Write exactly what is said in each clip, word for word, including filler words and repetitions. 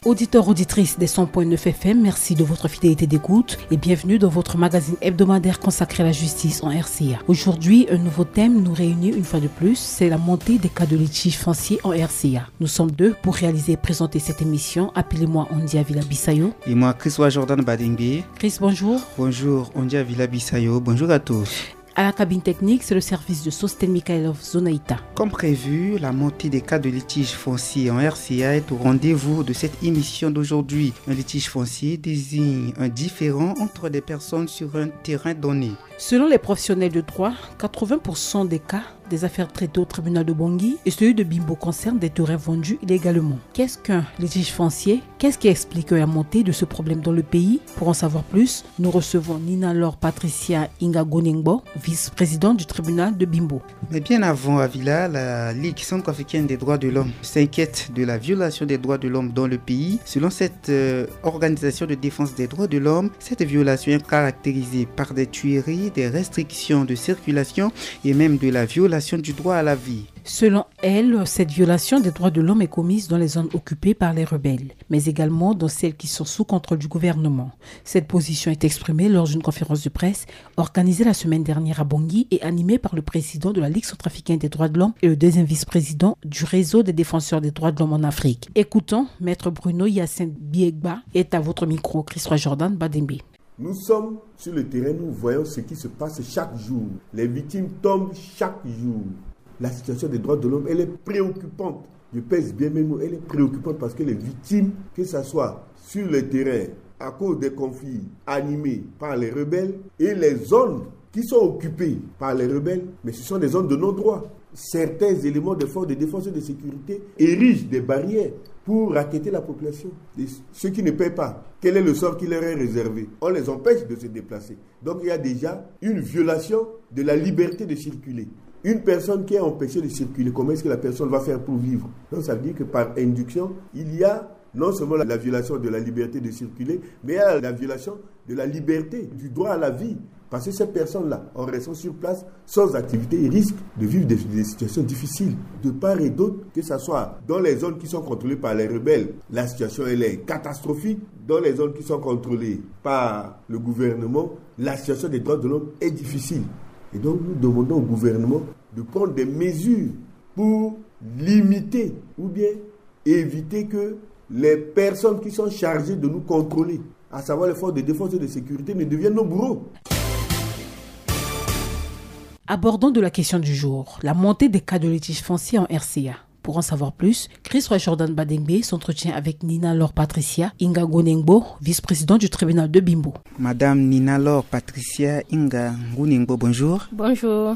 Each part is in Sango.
Auditeurs, auditrices des cent point neuf F M, merci de votre fidélité d'écoute et bienvenue dans votre magazine hebdomadaire consacré à la justice en R C A. Aujourd'hui, un nouveau thème nous réunit une fois de plus, c'est la montée des cas de litige foncier en R C A. Nous sommes deux pour réaliser et présenter cette émission. Appelez-moi Ondia Villa Bissayo. Et moi, Chris Wa Jordan Badengbe. Chris, bonjour. Bonjour, Ondia Villa Bissayo. Bonjour à tous. À la cabine technique, c'est le service de Sosten Mikhailov Zonaita. Comme prévu, la montée des cas de litige foncier en R C A est au rendez-vous de cette émission d'aujourd'hui. Un litige foncier désigne un différend entre des personnes sur un terrain donné. Selon les professionnels de droit, quatre-vingts pour cent des cas des affaires traitées au tribunal de Bangui et celui de Bimbo concernent des terrains vendus illégalement. Qu'est-ce qu'un litige foncier ? Qu'est-ce qui explique la montée de ce problème dans le pays ? Pour en savoir plus, nous recevons Nina Laure Patricia Inga Gonengbo, vice-présidente du tribunal de Bimbo. Mais bien avant, Avila, la Ligue centrafricaine des droits de l'homme s'inquiète de la violation des droits de l'homme dans le pays. Selon cette, euh, organisation de défense des droits de l'homme, cette violation est caractérisée par des tueries, des restrictions de circulation et même de la violation du droit à la vie. Selon elle, cette violation des droits de l'homme est commise dans les zones occupées par les rebelles, mais également dans celles qui sont sous contrôle du gouvernement. Cette position est exprimée lors d'une conférence de presse organisée la semaine dernière à Bangui et animée par le président de la Ligue centrafricaine des droits de l'homme et le deuxième vice-président du réseau des défenseurs des droits de l'homme en Afrique. Écoutons Maître Bruno Hyacinthe Biegba, est à votre micro, Chris Wa Jordan Badengbe. Nous sommes sur le terrain, nous voyons ce qui se passe chaque jour. Les victimes tombent chaque jour. La situation des droits de l'homme, elle est préoccupante. Je pèse bien mes mots, elle est préoccupante parce que les victimes, que ce soit sur le terrain, à cause des conflits animés par les rebelles, et les zones qui sont occupées par les rebelles, mais ce sont des zones de non-droit. Certains éléments des forces de défense et de sécurité érigent des barrières pour racketter la population. Et ceux qui ne paient pas, quel est le sort qui leur est réservé ? On les empêche de se déplacer. Donc il y a déjà une violation de la liberté de circuler. Une personne qui est empêchée de circuler, comment est-ce que la personne va faire pour vivre ? Donc ça veut dire que par induction, il y a non seulement la, la violation de la liberté de circuler, mais il y a la violation de la liberté, du droit à la vie. Parce que ces personnes-là, en restant sur place, sans activité, ils risquent de vivre des, des situations difficiles. De part et d'autre, que ce soit dans les zones qui sont contrôlées par les rebelles, la situation, elle est catastrophique. Dans les zones qui sont contrôlées par le gouvernement, la situation des droits de l'homme est difficile. Et donc, nous demandons au gouvernement de prendre des mesures pour limiter ou bien éviter que les personnes qui sont chargées de nous contrôler, à savoir les forces de défense et de sécurité, ne deviennent nos bourreaux. Abordons de la question du jour, la montée des cas de litige foncier en R C A. Pour en savoir plus, Chris Wa Jordan Badengbe s'entretient avec Nina Laure Patricia Inga Gonengbo, vice-présidente du tribunal de Bimbo. Madame Nina Laure Patricia Inga Gonengbo, bonjour. Bonjour.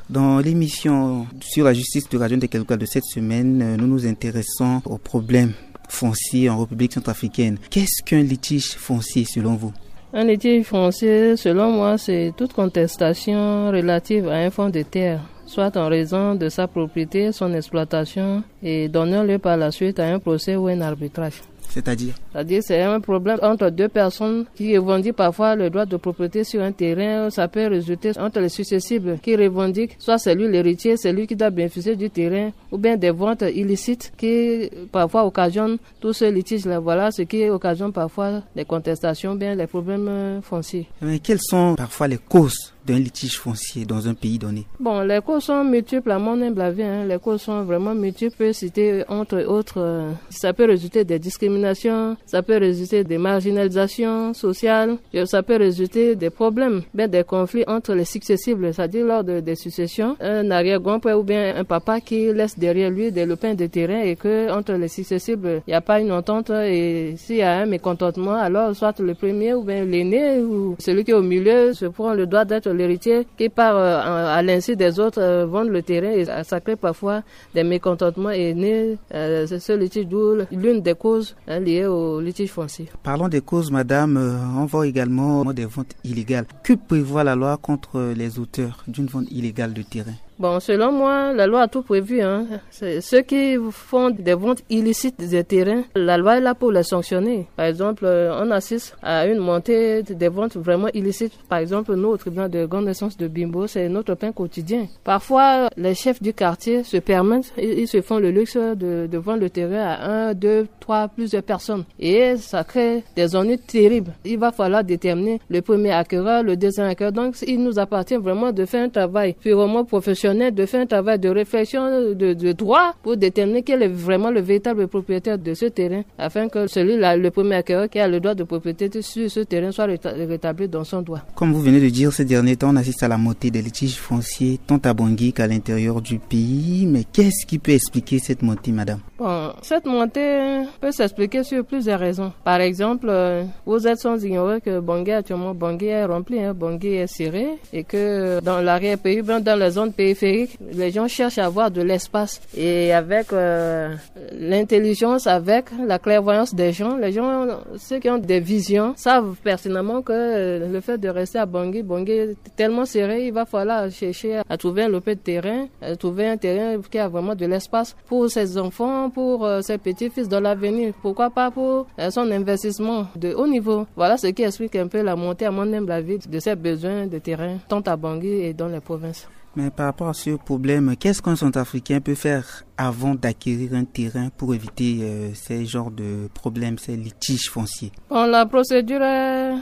Dans l'émission sur la justice de Radio Ndekeluka de cette semaine, euh, nous nous intéressons aux problèmes fonciers en République centrafricaine. Qu'est-ce qu'un litige foncier selon vous ? Un litige foncier, selon moi, c'est toute contestation relative à un fonds de terre, soit en raison de sa propriété, son exploitation, et donnant lieu par la suite à un procès ou un arbitrage. C'est-à-dire ? C'est-à-dire, c'est un problème entre deux personnes qui revendiquent parfois le droit de propriété sur un terrain. Ça peut résulter entre les successibles qui revendiquent, soit c'est lui l'héritier, c'est lui qui doit bénéficier du terrain, ou bien des ventes illicites qui parfois occasionnent tous ces litiges-là. Voilà ce qui occasionne parfois des contestations, bien les problèmes, euh, fonciers. Mais quelles sont parfois les causes d'un litige foncier dans un pays donné ? Bon, les causes sont multiples à mon humble avis, hein. Les causes sont vraiment multiples. Je peux citer entre autres, euh, ça peut résulter des discriminations, ça peut résulter des marginalisations sociales, et ça peut résulter des problèmes, bien des conflits entre les successibles, c'est-à-dire lors de, des successions, un arrière-grand-père ou bien un papa qui laisse derrière lui des lopins de terrain et que entre les successibles, il n'y a pas une entente et s'il y a un mécontentement, alors soit le premier ou bien l'aîné ou celui qui est au milieu se prend le droit d'être l'héritier qui part, euh, en- à l'insu des autres, euh, vendre le terrain et ça, ça crée parfois des mécontentements et naît, euh, ce, ce litige, d'où l'une des causes, hein, liées au litige foncier. Parlons des causes, madame. Euh, on voit également des ventes illégales. Que prévoit la loi contre les auteurs d'une vente illégale de terrain ? Bon, selon moi, la loi a tout prévu, hein. C'est ceux qui font des ventes illicites des terrains, la loi est là pour les sanctionner. Par exemple, euh, on assiste à une montée des ventes vraiment illicites. Par exemple, nous, au tribunal de grande instance de Bimbo, c'est notre pain quotidien. Parfois, les chefs du quartier se permettent, ils, ils se font le luxe de, de vendre le terrain à un, deux, trois, plusieurs personnes. Et ça crée des ennuis terribles. Il va falloir déterminer le premier acquéreur, le deuxième acquéreur. Donc, il nous appartient vraiment de faire un travail purement professionnel, de faire un travail de réflexion, de, de droit pour déterminer quel est vraiment le véritable propriétaire de ce terrain, afin que celui-là, le premier acquéreur qui a le droit de propriété sur ce terrain, soit réta-, rétabli dans son droit. Comme vous venez de dire, ces derniers temps, on assiste à la montée des litiges fonciers, tant à Bangui qu'à l'intérieur du pays. Mais qu'est-ce qui peut expliquer cette montée, madame ? Bon, cette montée peut s'expliquer sur plusieurs raisons. Par exemple, euh, vous êtes sans ignorer que Bangui actuellement, Bangui est rempli, hein, Bangui est serré, et que dans l'arrière-pays, bien dans les zones périphériques, les gens cherchent à avoir de l'espace. Et avec, euh, l'intelligence, avec la clairvoyance des gens, les gens, ceux qui ont des visions, savent pertinemment que, euh, le fait de rester à Bangui, Bangui est tellement serré, il va falloir chercher à trouver un lopin de terrain, à trouver un terrain qui a vraiment de l'espace pour ses enfants, pour, euh, ses petits-fils dans l'avenir. Pourquoi pas pour, euh, son investissement de haut niveau. Voilà ce qui explique un peu la montée, à mon humble avis, de ces besoins de terrain, tant à Bangui et dans les provinces. Mais par rapport à ce problème, qu'est-ce qu'un Centrafricain peut faire avant d'acquérir un terrain pour éviter, euh, ces genres de problèmes, ces litiges fonciers ? Bon, la procédure est,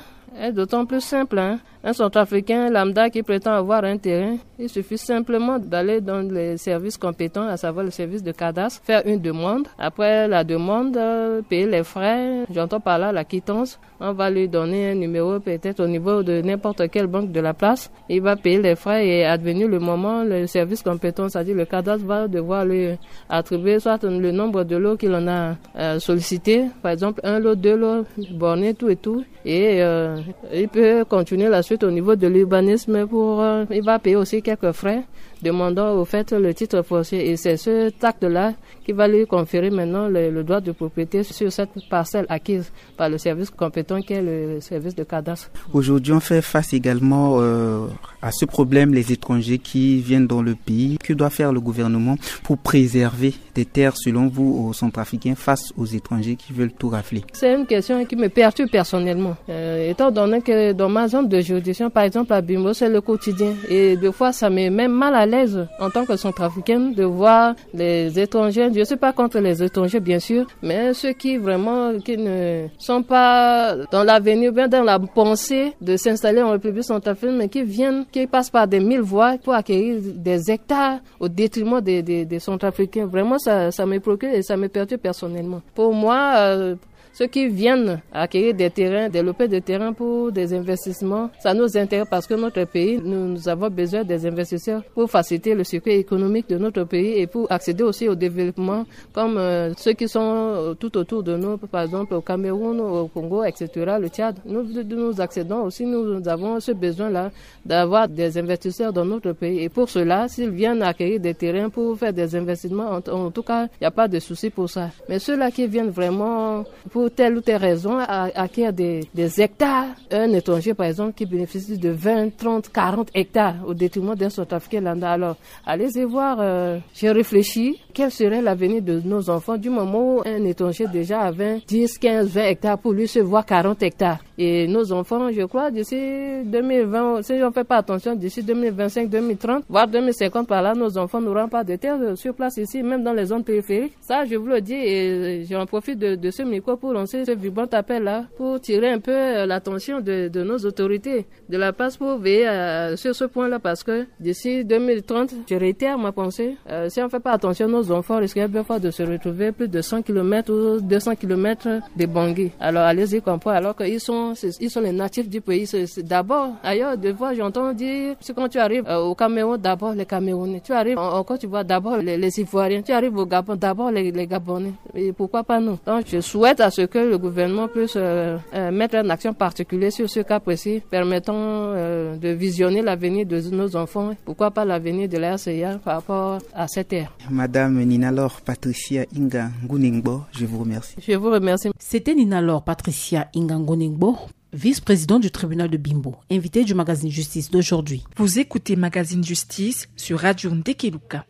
est d'autant plus simple, hein. Un Centrafricain lambda qui prétend avoir un terrain, il suffit simplement d'aller dans les services compétents, à savoir le service de cadastre, faire une demande. Après la demande, euh, payer les frais, j'entends par là la quittance. On va lui donner un numéro peut-être au niveau de n'importe quelle banque de la place. Il va payer les frais et advenu le moment, le service compétent, c'est-à-dire le cadastre, va devoir lui attribuer soit le nombre de lots qu'il en a, euh, sollicité, par exemple un lot, deux lots, borné, tout et tout. Et, euh, il peut continuer la suite au niveau de l'urbanisme pour, euh, il va payer aussi quelques frais, demandant au fait le titre foncier. Et c'est ce tact-là qui va lui conférer maintenant le, le droit de propriété sur cette parcelle acquise par le service compétent qui est le service de cadastre. Aujourd'hui, on fait face également, euh, à ce problème, les étrangers qui viennent dans le pays. Que doit faire le gouvernement pour préserver des terres, selon vous, aux Centrafricains face aux étrangers qui veulent tout rafler ? C'est une question qui me perturbe personnellement. Euh, étant donné que dans ma zone de juridiction, par exemple à Bimbo, c'est le quotidien. Et des fois, ça me met mal à l'aise en tant que Centrafricaine de voir les étrangers. Je ne suis pas contre les étrangers, bien sûr, mais ceux qui vraiment qui ne sont pas dans l'avenir, bien dans la pensée de s'installer en République centrafricaine, mais qui viennent, qui passent par des mille voies pour acquérir des hectares au détriment des, des, des Centrafricains. Vraiment, ça, ça me préoccupe et ça me perturbe personnellement. Pour moi, euh, ceux qui viennent acquérir des terrains, des lopins de terrain pour des investissements, ça nous intéresse parce que notre pays, nous, nous avons besoin des investisseurs pour faciliter le circuit économique de notre pays et pour accéder aussi au développement, comme, euh, ceux qui sont, euh, tout autour de nous, par exemple au Cameroun, au Congo, et cetera, le Tchad. Nous, nous accédons aussi, nous avons ce besoin-là d'avoir des investisseurs dans notre pays. Et pour cela, s'ils viennent acquérir des terrains pour faire des investissements, en, en tout cas, il n'y a pas de souci pour ça. Mais ceux-là qui viennent vraiment pour telle ou telle raison, à, acquérir des, des hectares, un étranger, par exemple, qui bénéficie de vingt, trente, quarante hectares au détriment d'un Centrafricain lambda. Alors, allez-y voir, euh, j'ai réfléchi, quel serait l'avenir de nos enfants du moment où un étranger déjà avait dix, quinze, vingt hectares pour lui se voir quarante hectares. Et nos enfants, je crois, d'ici deux mille vingt, si on ne fait pas attention, d'ici deux mille vingt-cinq, deux mille trente, voire deux mille cinquante par là, nos enfants n'auront pas de terre sur place ici, même dans les zones périphériques. Ça, je vous le dis, et j'en profite de, de ce micro pour lancer ce vibrant appel-là, pour tirer un peu, euh, l'attention de, de nos autorités de la place pour veiller à, sur ce point-là, parce que d'ici deux mille trente, je réitère ma pensée, euh, si on ne fait pas attention, nos enfants risquent bien fort de se retrouver plus de cent kilomètres ou deux cents kilomètres de Bangui. Alors, allez-y comprendre, alors qu'ils sont, c'est, ils sont les natifs du pays. C'est, c'est d'abord, ailleurs, des fois, j'entends dire, c'est quand tu arrives, euh, au Cameroun, d'abord les Camerounais. Tu arrives en, en Côte d'Ivoire, d'abord les, les Ivoiriens. Tu arrives au Gabon, d'abord les, les Gabonais. Et pourquoi pas nous ? Donc, je souhaite à ce que le gouvernement puisse, euh, euh, mettre une action particulière sur ce cas précis, permettant, euh, de visionner l'avenir de nos enfants. Pourquoi pas l'avenir de la R C A par rapport à cette terre ? Madame Ninalor Patricia Inga Ngunengbo, je vous remercie. Je vous remercie. C'était Ninalor Patricia Inga Ngunengbo, vice-président du tribunal de Bimbo, invité du magazine Justice d'aujourd'hui. Vous écoutez Magazine Justice sur Radio Ndekeluka.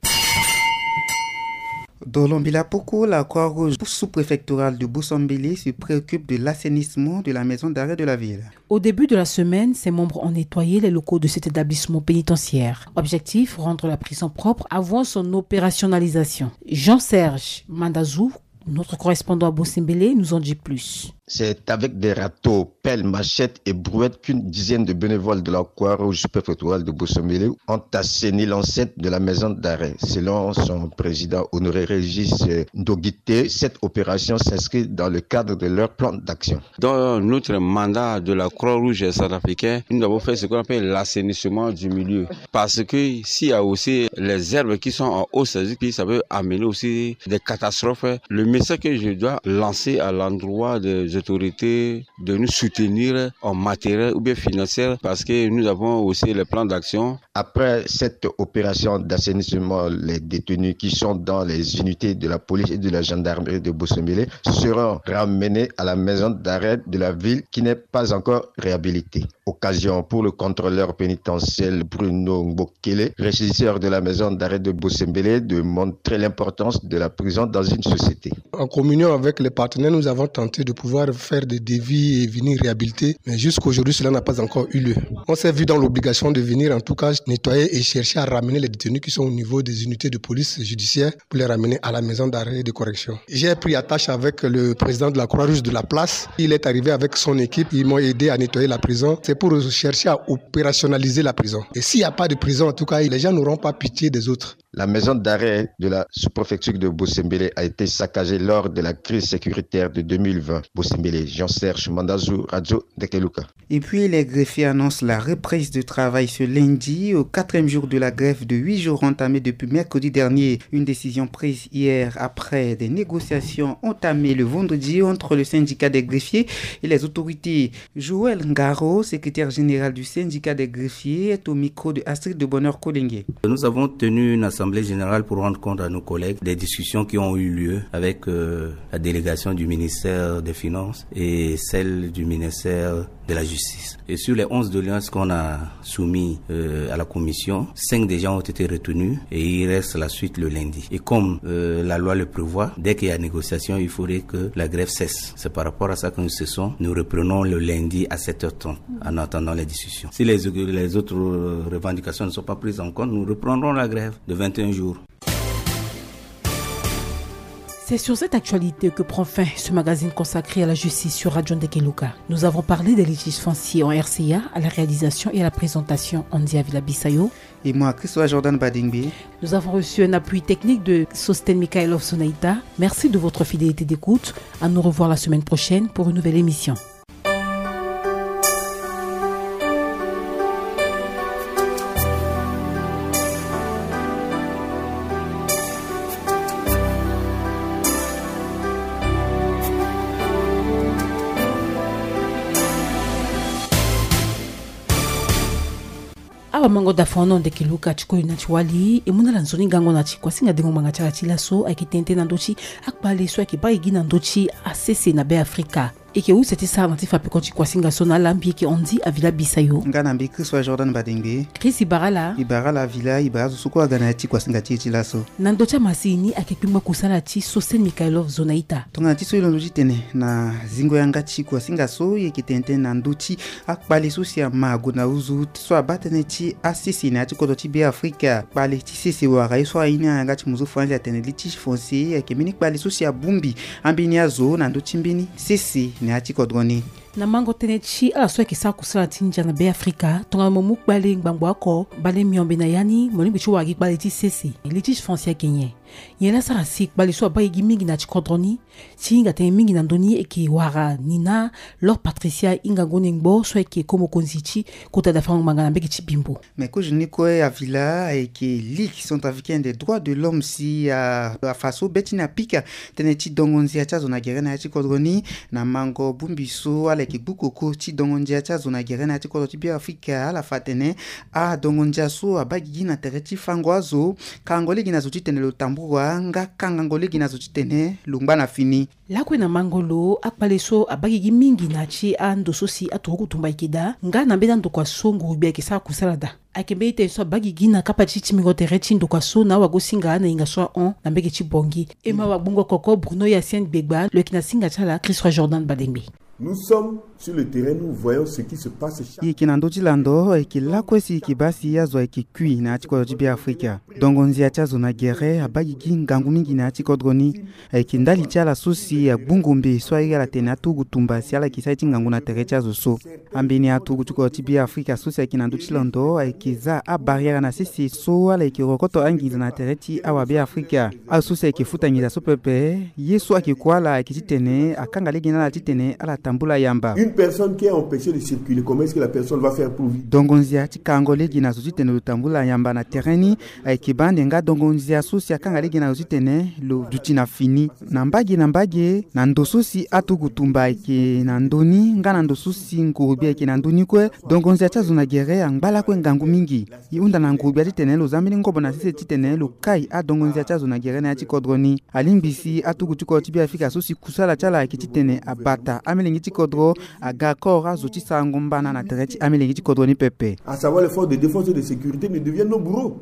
Dans l'Ambilapoko, la Croix-Rouge sous-préfectorale de Bosombélé se préoccupe de l'assainissement de la maison d'arrêt de la ville. Au début de la semaine, ses membres ont nettoyé les locaux de cet établissement pénitentiaire. Objectif, rendre la prison propre avant son opérationnalisation. Jean-Serge Mandazou, notre correspondant à Bosombélé, nous en dit plus. C'est avec des râteaux, pelles, machettes et brouettes qu'une dizaine de bénévoles de la Croix-Rouge sous-préfectorale de Bosombélé ont assaini l'enceinte de la maison d'arrêt. Selon son président, Honoré Régis Ndogité, cette opération s'inscrit dans le cadre de leur plan d'action. Dans notre mandat de la Croix-Rouge centrafricaine, nous avons fait ce qu'on appelle l'assainissement du milieu. Parce que s'il y a aussi les herbes qui sont en hausse, c'est-à-dire que ça peut amener aussi des catastrophes. Le message que je dois lancer à l'endroit des autorités, de nous soutenir en matériel ou bien financier, parce que nous avons aussi les plans d'action. Après cette opération d'assainissement, les détenus qui sont dans les unités de la police et de la gendarmerie de Bosombélé seront ramenés à la maison d'arrêt de la ville qui n'est pas encore réhabilitée. Occasion pour le contrôleur pénitentiel Bruno Ngbokele, régisseur de la maison d'arrêt de Bosombélé, de montrer l'importance de la prison dans une société. En communion avec les partenaires, nous avons tenté de pouvoir faire des devis et venir réhabiliter. Mais jusqu'aujourd'hui, cela n'a pas encore eu lieu. On s'est vu dans l'obligation de venir, en tout cas, nettoyer et chercher à ramener les détenus qui sont au niveau des unités de police judiciaire pour les ramener à la maison d'arrêt et de correction. J'ai pris attache avec le président de la Croix-Rouge de la place. Il est arrivé avec son équipe. Ils m'ont aidé à nettoyer la prison. C'est pour chercher à opérationnaliser la prison. Et s'il n'y a pas de prison, en tout cas, les gens n'auront pas pitié des autres. La maison d'arrêt de la sous-préfecture de Bosombélé a été saccagée lors de la crise sécuritaire de deux mille vingt. Bosombélé, Jean-Serge Mandazou, Radio Ndekeluka. Et puis, les greffiers annoncent la reprise de travail ce lundi, au quatrième jour de la grève de huit jours entamée depuis mercredi dernier. Une décision prise hier après des négociations entamées le vendredi entre le syndicat des greffiers et les autorités. Joël Ngaro, secrétaire général du syndicat des greffiers, est au micro de Astrid de Bonheur Kolenge. Nous avons tenu une assemblée générale pour rendre compte à nos collègues des discussions qui ont eu lieu avec, euh, la délégation du ministère des Finances et celle du ministère de la Justice. Et sur les onze doléances qu'on a soumises, euh, à la commission, cinq déjà ont été retenues et il reste la suite le lundi. Et comme, euh, la loi le prévoit, dès qu'il y a négociation, il faudrait que la grève cesse. C'est par rapport à ça que nous cessons. Nous reprenons le lundi à sept heures trente en attendant les discussions. Si les, les autres, euh, revendications ne sont pas prises en compte, nous reprendrons la grève de vingt et un jours. C'est sur cette actualité que prend fin ce magazine consacré à la justice sur Radio Ndekeluka. Nous avons parlé des litiges fonciers en R C A, à la réalisation et à la présentation, Andy Avila Bissayo. Et moi, Christophe Jordan Badingbe. Nous avons reçu un appui technique de Sosten Mikhailov Sonaïta. Merci de votre fidélité d'écoute. À nous revoir la semaine prochaine pour une nouvelle émission. Awa mango da fono Ndekeluka ti koli na ti wali, e mu na ala nzoni gango na ti kuasinga dengo ngbanga ti ala ti laso ayeke tene tënë na ndö ti akpale so ayeke baa gi na ndö ti asese na Be Afrika. E yeke use ti sara na ti fa peko ti kuasinga so na ala, mbi yeke Andy Avila Bissayo. Nga na mbi Christophe Jordan Badingbe. Chris Ibarala. Ibarala Avila, Ibarala zo so kue aga na ya ti kuasinga ti e ti laso. Na ndö ti amasini ayeke kpengba kusala ti Sosten Mikhailov Zonaita. Tongana ti so e londo ti tene na zingo yanga ti kuasinga so, e yeke tene tënë na ndö ti akpale so si ama ague na nduzu so abaa tënë ti asese na ya ti kodro ti Be Afrika. Kpale ti sese wara ye so aye ni ayanga ti muzu franzi atene litige foncier, ayeke mbeni kpale so si abongbi ambeni azo na ndö ti mbeni sese na ya ti kodro ni. Na mango tënë ti ala so ayeke sara kusala ti ndia na Be Afrika, tongana mo mu kpale ngbangbo oko, mbale miombe na ya ni mo lingbi ti wara gi kpale ti sese. Litige foncier ayeke nyen? Nyen laa asara si kpale so abaa e gi mingi na ya ti kodro ni? Ti hinga tënë mingi na ndö ni, e yeke wara Nina, Laure Patricia, hingango ni ngbo so ayeke ko mokonzi ti kota dafarango ngbanga na mbage ti Bimbo. Me kozo ni kue Avila ayeke Ligue centrafricaine des droits de l'homme si a, afa so be ti ni apika tënë ti dongo nzia ti azo na gere na ya ti kodro ni. Na mango bongbi so ala Ayeke gbu koko ti dongo ndia ti azo na gere na ya ti kodro ti Beafrika, ala fa atene adongo ndia so abaa gigi na tere ti fango azo, kangango lege na zo titene lo tambula nga kangango lege na zo titene lo ngba na fini. Lakue na mango lo akpale so abaa gigi mingi na ya ti ando so si aturuku tumba ayeke daa nga na mbeni andokua so nguru-gbia ayeke sara kusala daa. Ayeke mbeni tene so abaa gigi na kapa ti timbingo tere ti ndokua so na awagosinga na hinga so ahon na mbege ti Bangui. E ma wagbongo koko Bruno Hyacinthe Gbegba, lo yeke na singa ti ala Christ Roi Jordan Badengbe. Nous sommes sur le terrain, nous voyons ce qui se passe chaque... E yeke na ndö ti lando, ayeke lakue si e yeke baa si azo ayeke kui na ya ti kodro ti Beafrika. Dongo ndia ti azo na gere abaa gigi ngangu mingi na ya ti kodro ni. Ayeke ndali ti ala so si agbu ngombe so airi ala tene aturugu tumba si ala yeke sara ye ti ngangu na tere ti azo so. Ambeni aturugu ti kodro ti Beafrika so si ayeke na ndö ti lando ayeke za abarrière na sese so ala yeke rokoto anginza na tere ti awa Beafrika. Azo so si ayeke futa nginza so pepe, ye so ayeke kue ala ayeke titene akanga lege na ala titene ala tambula yamba. Une personne qui est empêchée de circuler, comment est-ce que la personne va faire pour vivre? Dongo ndia ti kangango lege na zo titene lo tambula yamba na tere ni, ayeke baa ande nga dongo ndia so si akanga lege na lo titene lo duti na fini. Na mbage na mbage, na ndo so si aturuku tumba ayeke na ndö ni nga na ndo so si nguru-gbia ayeke na ndö ni kue, dongo ndia ti azo na gere angba lakue ngangu mingi. E hunda na nguru-gbia titene lo za mbeni ngobo na sese titene lo kai adongo ndia ti azo na gere na ya ti kodro ni. Alingbi si aturuku ti kodro ti Beafrika so si kusala ti ala ayeke titene abata amolenge ti kodro aga koro azo ti sarango mbana na tere ti amolenge ti kodro ni pepe. À savoir les forces de défense et de sécurité ne deviennent nos bourreaux.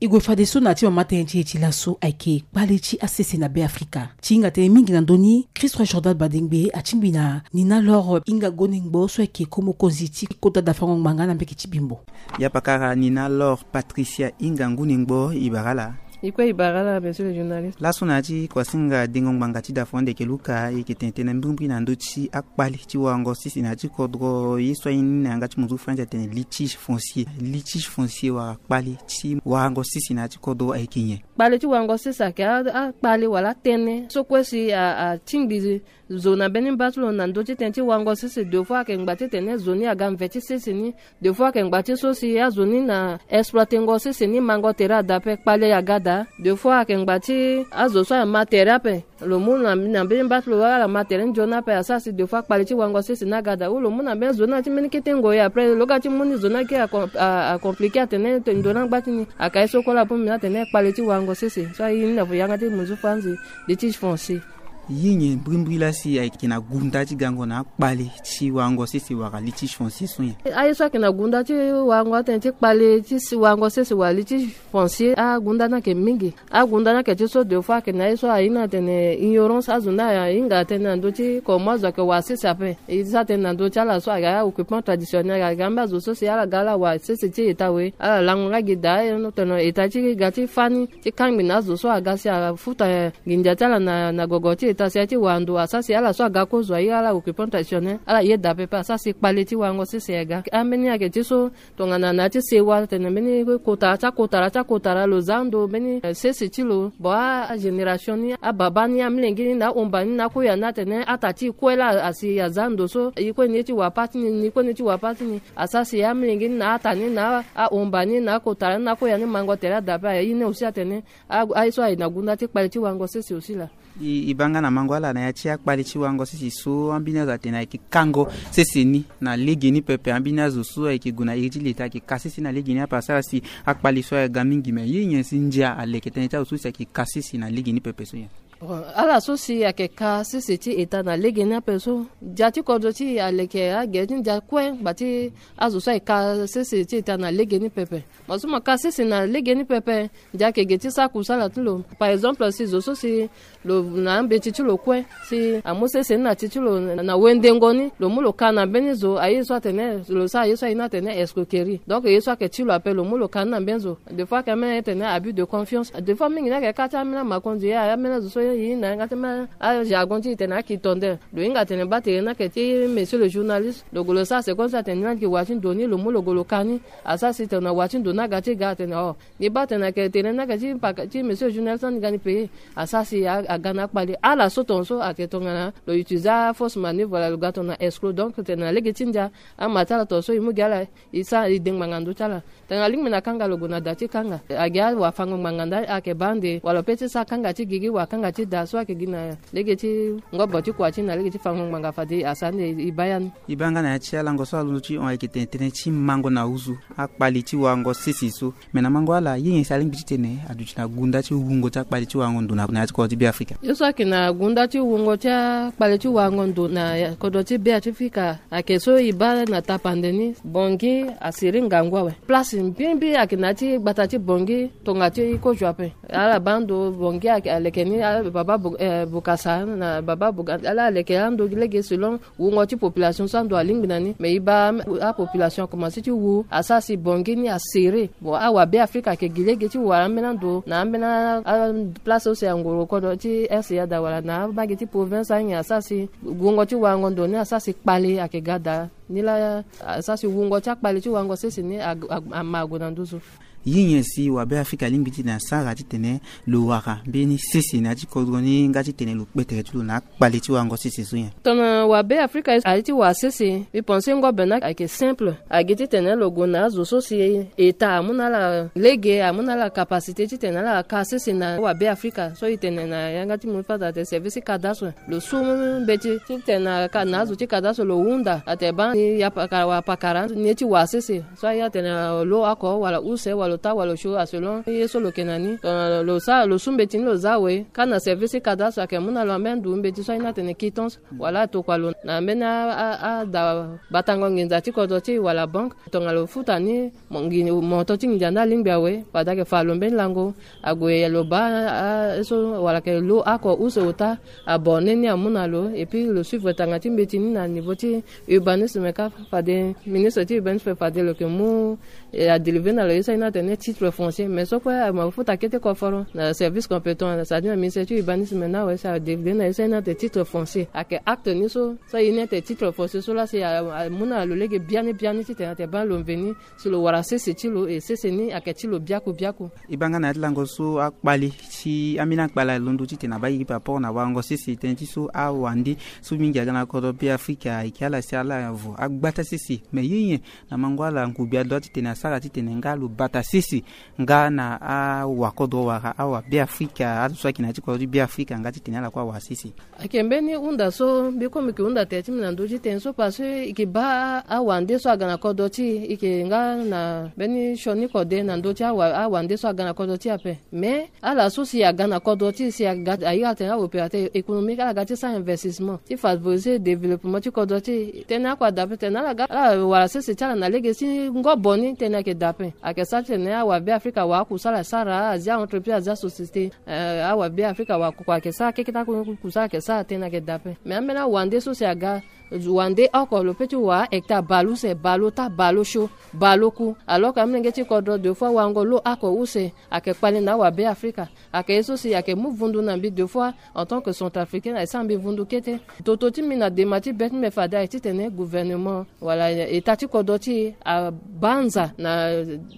E gue fadeso na ya ti mama tënë ti e ti laso ayeke kpale ti asese na Beafrika. Ti hinga tënë mingi na ndö ni, Christ Roi Jordan Badengbe atingbi na Nina Laure Inga Gonengbo so ayeke ko mokonzi ti kota dafango ngbanga na mbeke ti Bimbo. Ya pakara Nina Laure Patricia Inga Gonengbo, e bara ala. E kue e bara ala, monsieur le journaliste. Laso na ya ti kuasinga dengo ngbanga ti dafango ndeke luka, e yeke tene tënë mbrimbri na ndö ti akpale ti warango sese na ya ti kodro, ye so aye ni na yanga ti munzu Faranzi atene litige foncier. Litige foncier wala kpale ti warango sese na ya ti kodro ayeke nyen? Kpale ti warango sese ayeke a, akpale wala atënë so kue si a, atingbi zo na mbeni mba ti lo na ndö ti tënë ti warango sese. Deux fois ayeke ngba titene zo ni aga mve ti sese ni. Deux fois ayeke ngba ti so si azo ni na exploitengo sese ni mango tere ada ape, kpale aga daa. Deux fois ayeke ngba ti azo so ama tere ape, lo mu na, na mbeni mba ti lo wala ala ma tere ni nzoni ape, asara si deux fois kpale ti warango sese ni aga daa. Ou lo mu na mbeni zo ni na ti mbeni kete ngoi, après lo ga ti mu ni zo ni ake a com-, a, a compliqué atene ndo ni angba ti ni. Ayeke ye so kue la bongbi ni atene kpale ti warango sese so aye ni na yanga ti munzu Faranzi litige foncier. Ye nyen mbrimbri laa si ayeke na gunda ti gango na akpale ti warango sese wala litige foncier so nyen? Aye so ayeke na gunda ti warango atene ti kpale ti si warango sese wala litige foncier, agunda ni ayeke mingi. Agunda ni ayeke ti so deux fois ayeke na ye so aye ni atene ignorance, azo ni ahinga atene na ndö ti komo azo ayeke wara sese ape. E sara tënë na ndö ti ala so ayeke a-occupant traditionnel, ayeke ambeni azo so si ala ga ala wara sese ti État we, ala lango nga gi daa, e tene État ti ga ti fâ ni ti kangbi na azo so aga si afuta nginza ti ala na, na gogo ti État si aye ti wara ndo, asara si ala so aga kozo aye ala occupant traditionnel, ala yeda pepe, asara si kpale ti warango sese aga. Ambeni ayeke ti so tongana na ya ti sewa atene mbeni kotara ti akotara ti akotara lo za ando mbeni, eh, sese ti lo. Bon, a, agénération ni, ababa ni, amolenge ni na ahomba ni na akoya ni atene ata ti e kue laa asi aza ando so e kue ni ye ti wara pâ ti ni, ni kue ni ye ti wara pâ ti ni. Asara si amolenge ni na ata ni na ahomba ni na akotara ni na akoya ni mango tere ada ape. Aye ni aussi atene a, aye so aye na gunda ti kpale ti warango sese aussi laa. E, e baa nga na mango ala na ya ti akpale ti warango sese so, ambeni azo atene ayeke kango sese ni na legeni pepe. Ambeni azo so ayeke gue na iri ti leta ayeke ka sese na legeni ape, asara si akpale so aga mingi. Me ye nyen si ndia aleke tënë ti azo so si ayeke ka sese na legeni pepe so nyen? Bon, ala so si ayeke ka sese ti État na legeni ape so, ndia ti kodro ti e aleke agere ti ndia kue ngba ti azo so ayeke ka sese ti État na legeni pepe. Mo so mo ka sese na legeni pepe, ndia ayeke ge ti sara kusala ti lo. Par exemple, si zo so si lo na ambeti ti lo kue, si amu sese ni na ti ti lo na wendengo ni, lo mu lo ka na mbeni zo, aye so atene lo sara ye so aye ni atene escroquerie. Donc ye so ayeke ti lo ape, lo mu lo ka ni na mbeni zo. Des fois ayeke ambeni aye tene abus de confiance. Des fois mingi ni ayeke ka ti ambeni amakonzi, ye ambeni azo so ye na yanga ti ambeni ajargon ti e tene akitondere. Lo hinga tene baa tere ni ayeke ti monsieur le journaliste. Lo gue lo sara seconde so atene ni ayeke wara ti ndo ni, lo mu lo gue lo ka ni. Asara si tongana wara ti ndo ni aga ti ga atene oh, ni baa tene ayeke tere ni ayeke ti paka ti monsieur journaliste ni ga ni payé. Asara si a, aga na akpale. Ala so tongaso ayeke tongana lo utiliser afausse manœuvre wala lo ga tongana escroc. Donc tene na lege ti ndia ama ti ala tongaso e mu gi ala, e sara e de ngbanga ndö ti ala. Tongana alingbi na kanga lo gue na da ti kanga. Agi awafango ngbanga nda ayeke baa ande wala lo pe ti sara kanga ti gigi wala kanga ti da so ayeke gi na lege ti ngobo ti kua ti na lege ti fango ngbanga fade asa ande e baa ya ni. E baa nga na ya ti alango so alondo ti hon ayeke tene tënë ti mango na huzu, akpali ti warango sese so. Me na mango ala ye nyen si alingbi titene aduti na gunda ti wungo ti akpali ti warango ndo na ya ti kodro ti Beafrika? Ye so ayeke na gunda ti wungo ti akpali ti warango ndo na kodro ti Beafrika ayeke so e baa na tapande ni Bangui asiri ngangu awe. Place mbimbi ayeke na ya ti gbata ti Bangui tonga ti kozo ape. Ala baa ndo Bangui aleke ni, baba Bokassa na baba Bokassa ala leke ando lege selon wungo ti population so ando alingbi na ni. Me e baa apopulation akomanse ti wu asara si Bangui ni asiri. Bon, awabe Afrika ayeke gi lege ti wara ambeni ando na ambeni aplace use angoro kodro ti R C A daa wala na amage ti province anyen asara si wungo ti warango ndo ni asara si kpale ayeke ga daa. Nilaa asara si wungo ti akpale ti warango sese ni ama ague na nduzu. Ye nyen si wabe Afrika alingbi titene asara titene lo wara mbeni sese na ya ti kodro ni nga titene lo kpe tere ti lo na akpale ti warango sese so nyen? Tongana wabe Afrika aye ti wara sese, mbi pense ngobe ni ayeke simple. Agi titene lo gue na azo so si État amu na ala lege, amu na ala capacité titene ala ka sese na wabe Afrika so e tene na yanga ti mo fada ate service ti cadastre. Lo su mbeti titene na azo ti cadastre lo hunda ate baa ni ya pakara wala pakara ni ye ti wara sese. So aye atene lo oko wala use wala ota wala osio aselon ye so lo yeke na ni. Tongana lo sara lo su mbeti ni lo za awe, ka na service ti cadastre ayeke mu na lo ambeni ndu mbeti so aye ni atene quittance wala atokua lo na ambeni ada batango nginza ti kodro ti e wala banque. Tongana lo futa ni moto ti nginza ni alingbi awe, fade ayeke fa lo mbeni lango. Ague lo baa so wala ayeke lo oko use ota abonné ni amu na lo, et puis lo suivre tanga ti mbeti ni na niveau ti urbanisme ka. Fade ministre ti urbanisme fade lo yeke mu adélivrer na lo ye so aye ni atene titre foncier. Mais so kue ama futa kete koforo na service compétent, c'est-à-dire na ministère ti urbanisme ni awe si adélivrer na ye so aye ni atene titre foncier. Ayeke acte ni so so aye ni atene titre foncier so laa si amu na lo lege biani biani titene ate baa lo mveni si lo wara sese ti lo, e sese ni ayeke ti lo biaku biaku. E baa nga na ya ti lango so akpali ti ambeni akpali alondo titene abaa gi par rapport na warango sese tënë ti so awande so mingi aga na kodro Beafrika ayeke ala si ala vo agbata sese. Me ye nyen na mango ala ngugbi adua titene asara titene nga lo bata sese nga na awakodro wala awabeafrika azo so ayeke na ya ti kodro ti Beafrika nga titene ala kue awara sese? Ayeke mbeni hunda so mbi kue mbi yeke hunda tere ti mbi na ndö ti tënë so parce que e yeke baa awande so aga na kodro ti e, e yeke nga na mbeni sioni kode na ndö ti awa awande so aga na kodro ti e ape. Mais ala so si aga na kodro ti e si aga aye atene aopérateur économique ala ga ti sara investissement ti favoriser développement ti kodro ti e. Tënë akue ada ape tene ala ga ala wara sese ti ala na lege ti ngobo ni tënë ayeke da ape. Ayeke sara titene awabeafrika awara akusala asara, azia entreprise, azia société. Awabeafrika awara koko ayeke sara keke ti akusala ayeke sara tënë ayeke da ape. Mais ambeni awande so si aga wande oko lo peut ti wara hectare baleuse, baleota, baleosio, baleoku. Alors que amolenge ti kodro deux fois warango lo oko use ayeke kpale na awabeafrika. Ayeke ye so si ayeke mu vundu na mbi deux fois en tant que centrafricain ayeke sara mbi vundu kete. Toto ti mbi na dema ti be ti mbi fade ayeke titene gouvernement wala état ti kodro ti e abanza na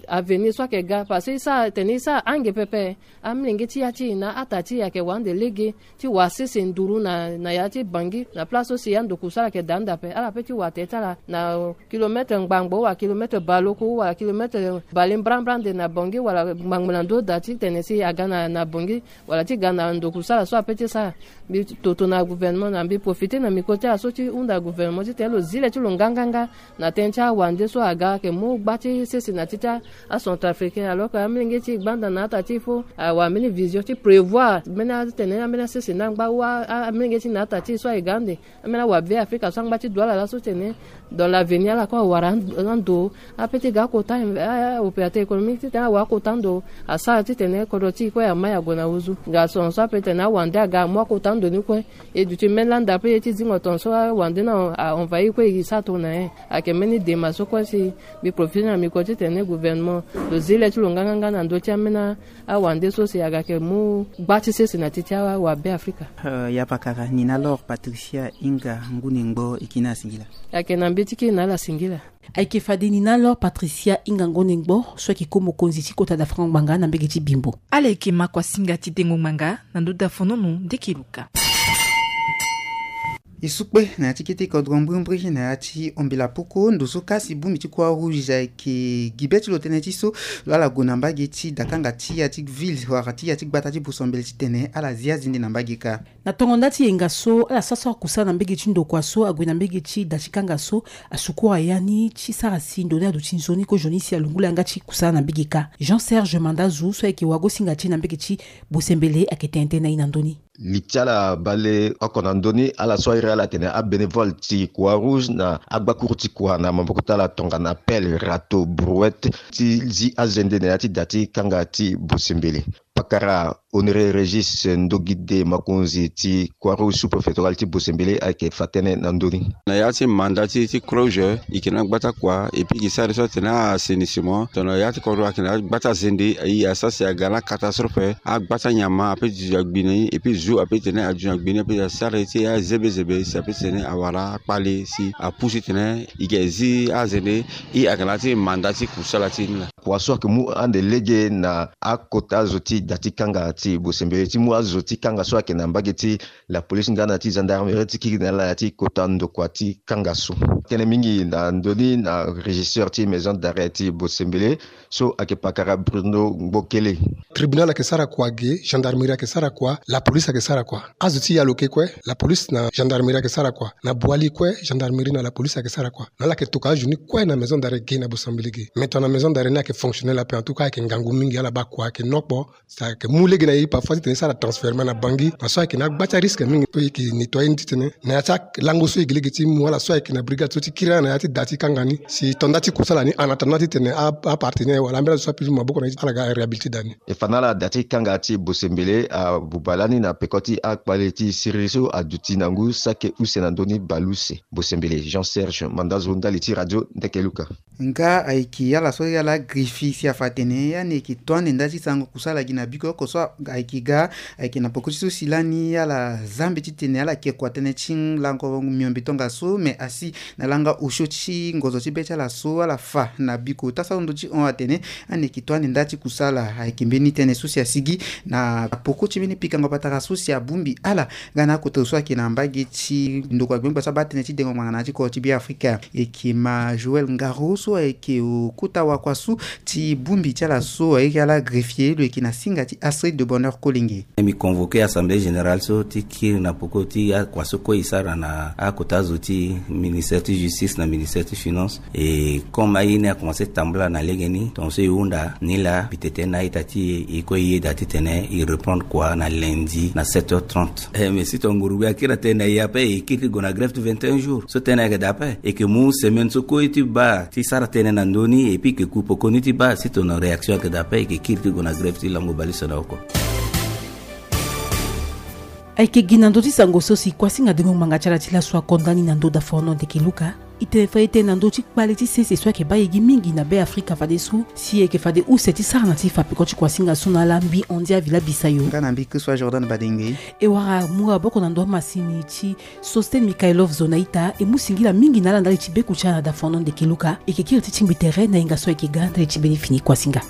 avenir so ayeke ga parce que e sara tene e sara ange pepe. Amolenge ti ya ti e na ata ti e ayeke wara ande lege ti wara sese nduru na na ya ti Bangui na place so si ando kusala ayeke da ande ape. Ala peut ti wara tere ti ala na kilometre ngbangbo wala kilometre baleoku wala kilometre bale mbrambra ande na Bangui wala ngbangbo na ndö da titene si aga na na Bangui wala ti ga na ndo kusala so apeut ti sara. Mbi toto na gouvernement na mbi profiter na micro ti ala so ti hunda gouvernement titene lo zi le ti lo nganganga na tënë ti awande so aga ayeke mu gba ti sese na ti ti acentrafricain alors que amolenge ti e gbanda na ata ti e fo awara mbeni vision ti prévoir mbeni atene ambeni asese ni angba ou amolenge ti e na ata ti e so aye ga ande. Ambeni awabeafrika so angba ti du ala laso tene dans l'avenir ala kue awara ando apeut ti ga akota opérateur économique titene awara akota ando asara titene kodro ti e kue amai ague na huzu. Nga son so apeut tene awande aga amu akota ando ni kue. E duti mbeni landa ape ye ti zingo ton so awande ni a-envahir kue e sara tongana nyen? Ayeke mbeni dema so kue si mbi profiter na micro titene gouvernement lo zi le ti lo nganganga na ndö ti ambeni awande so si aga yeke mu gba ti sese na ti ti awabeafrika. Ya pakara ni na alors Patricia Inga Ngunengbo e kiri na ala singila. Ayeke na mbeti kiri na ala singila. Ayeke fade ni na alors Patricia Inga Ngunengbo so ayeke ko mokonzi ti kota dafango ngbanga na mbege ti Bimbo. Ala yeke makuasinga ti dengo ngbanga na ndö dafonono ndeke luka. E su kpe na ya ti kete kodro mbrimbri na ya ti ombela poko ndo so kasi bongbi ti Croix Rouge ayeke gi be ti lo tënë ti so lo ala gue na mbage ti dakanga ti ya ti ville wala ti ya ti gbata ti Bosombele titene ala zi azende na mbage kâ. Na tongo nda ti yenga so ala sara so akusala na mbage ti ndokua so ague na mbage ti da ti kanga so, asukura ya ni ti sara si ndo ni aduti nzoni kozoni si alungula yanga ti kusala na mbage kâ. Jean Serge Mandazu so ayeke wagosinga ti e na mbage ti Bosombele ayeke tene tënë na e na ndö ni. Li ti ala bale oko na ndö ni ala so airi ala atene abénévole ti Croix Rouge na agbakuru ti kua na maboko ti ala tongana pelle, râteau, brouette ti zi azende na ya ti da ti kanga ti Bosombele. Pakara Honoré Régis Ndogide, mokonzi ti Croix Rouge sous-préfectorale ti Bosombele ayeke fa tënë na ndö ni. Na ya ti manda ti ti Croix Rouge e yeke na gbata kua et puis e yeke sara so atene assainissement tongana ya ti kodro ayeke na gbata zende. E asara si aga na catastrophe, agbata nyama ape duti na gbi na e et puis zo ape tene aduti na gbi na e, ape asara ye ti aye zebezebe si ape tene awara akpale si apusu titene e yeke zi azende. E ayeke na ya ti manda ti kusala ti e ni laa. Kua so ayeke mu ande lege na akota zo ti da ti kanga ti Bosombele ti mu azo ti kanga so ayeke na mbage ti la police nga na ti gendarmerie ti kiri na ala na ya ti kota ndokua ti kanga so. Tënë mingi na ndö ni na régisseur ti maison d'arrêt ti Bosombele so ayeke pakara Bruno Ngbokele. Tribunal ayeke sara kua ge, gendarmerie ayeke sara kua, la police ayeke sara kua. Azo ti yalo ke kue, la police na gendarmerie ayeke sara kua. Na Boali kue, gendarmerie na la police ayeke sara kua. Na ala yeke toka azo ni kue na maison d'arrêt ge na Bosombele ge. Mais tongana maison d'arrêt ni ayeke fonctionnel ape, en tout cas ayeke ngangu mingi, ala baa kua ayeke nokpo. Si ayeke mu lege na e parfois titene e sara transfèrement na Bangui, na so ayeke na agba ti arisque mingi so e yeke nettoyer ni titene na ya ti alango so e yeke lege ti mu ala so ayeke na brigade so ti kiri ala na ya ti da ti kanga ni. Si to nda ti kusala ni en attendant titene a, apartenaire wala ambeni azo so apusu maboko na e ti ala ga réhabiliter da ni. E fa na ala da ti kanga ti Bosombele abuba lani na peko ti akpale ti siriri so aduti na ngu sake use na ndö ni bale use. Bosombele, Jean Serge Mandazo, ndali ti radio Ndeke Luka. Nga ayeke ala so ala greffier si afa atene ani yeke to ande nda ti sango kusala gi na biko oko so ayeke ga, ayeke na poko ti so si lani ala zambe titene ala ke kua tënë ti lango miombe tongaso, mais asi na langa osio ti ngonzo ti be ti ala so ala fa na biko. Tasara ndo ti hon atene ani yeke to ande nda ti kusala. Ayeke mbeni tënë so si asigi na poko ti mbeni pikango patara so si abongbi ala nga na akota zo so ayeke na mbage ti ndokua gbengba so abaa tënë ti dengo ngbanga na ya ti kodro ti Beafrika. E yeke ma Joël Ngaro so ayeke okota wakua so ti bongbi ti ala so airi ala greffier, lo yeke na singa ti Astrid de Bonheur Kolenge. Mbi convoquer assemblée générale so ti kiri na poko ti akua so kue e sara na akota zo ti ministère ti justice na ministère ti finance. Et comme aye ni akomanse tambula na legeni, tongaso e hunda ni laa, mbi tene na a-ita ti e, e kue e yeda titene e reprendre kua na lundi na sept heures trente. Eh, mais si tonga nguru gbia akiri atene na e ape, e kiri ti gue na grève ti vingt et un jours. So tënë ayeke daa ape, e yeke mu semaine so kue ti baa ti sara tënë na ndö ni, et puis e yeke ku poko ni ti baa si tongana réaction ayeke daa ape, e yeke kiri ti gue na grève ti lango bale so na oko. Ayeke gi na ndö ti sango so si kuasinga dengo ngbanga ti ala ti laso akonda ni na ndö daforono Ndeke Luka. E tene fa e tene na ndö ti kpale ti sese so ayeke baa e gi mingi na Beafrika fadeso, si e yeke fade use ti sara na ti fa peko ti kuasinga so na ala mbi Andia Villa Bisayo. Nga na mbi Christophe Jordan Badengbe. E wara mu aboko na ndo amasini ti Sosten Mikhailov zo na ita, e mu singila mingi na ala ndali ti beku ti ala na daforono Ndeke Luka. E yeke kiri ti tingbi tere na yenga so ayeke ga ndali ti mbeni fini kuasinga.